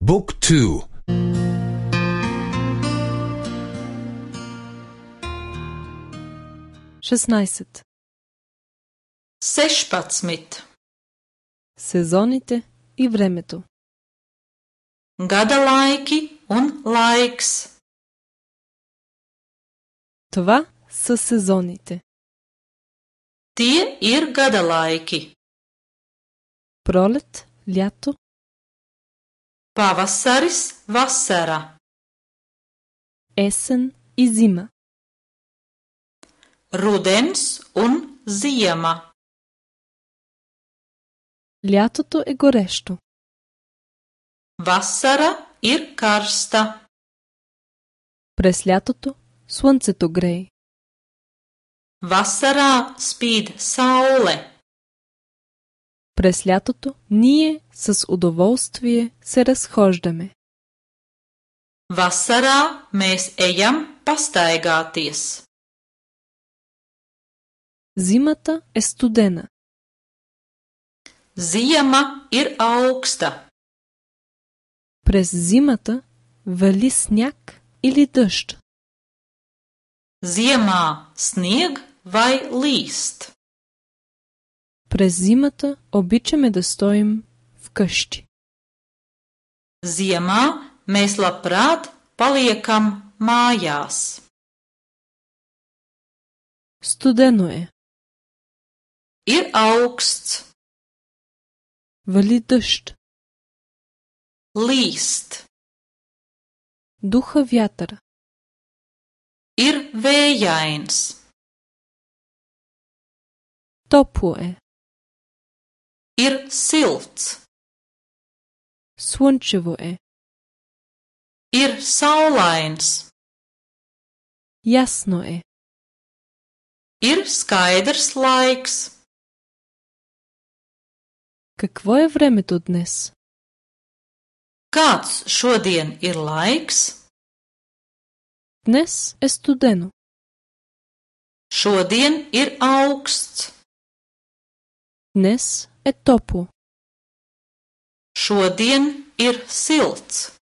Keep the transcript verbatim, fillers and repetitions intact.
Book two. шестнайсет. sešpadsmit. Сезоните и времето. Gada laiki un laiks. Това са сезоните. Tie ir gada laiki. Пролет, лято, Pavasaris, vasara. есен и зима. Rudens un ziema. Лятото е горещо. Vasara ir karsta. През лятото слънцето грее. Vasarā spīd saule. През лятото ние с удоволствие се разхождаме. Vasarā mēs ejam pastaigāties. Зимата е студена. Ziema ir augsta. През зимата вали сняг или дъжд. Ziemā snieg vai līst. През зимата обичаме да стоим вкъщи. Ziemā mēs labprāt paliekam mājās. Студено е. Ir augsts. Вали дъжд. Līst. Духа вятъра. Ir vējains. Топло е. Ir silts. Слънчево е. Ir saulains. Ясно е. Ir skaidrs laiks. Какво е времето днес? Kāds šodien ir laiks? Днес е студено. Šodien ir augsts. Днес е топло. Šodien ir silts.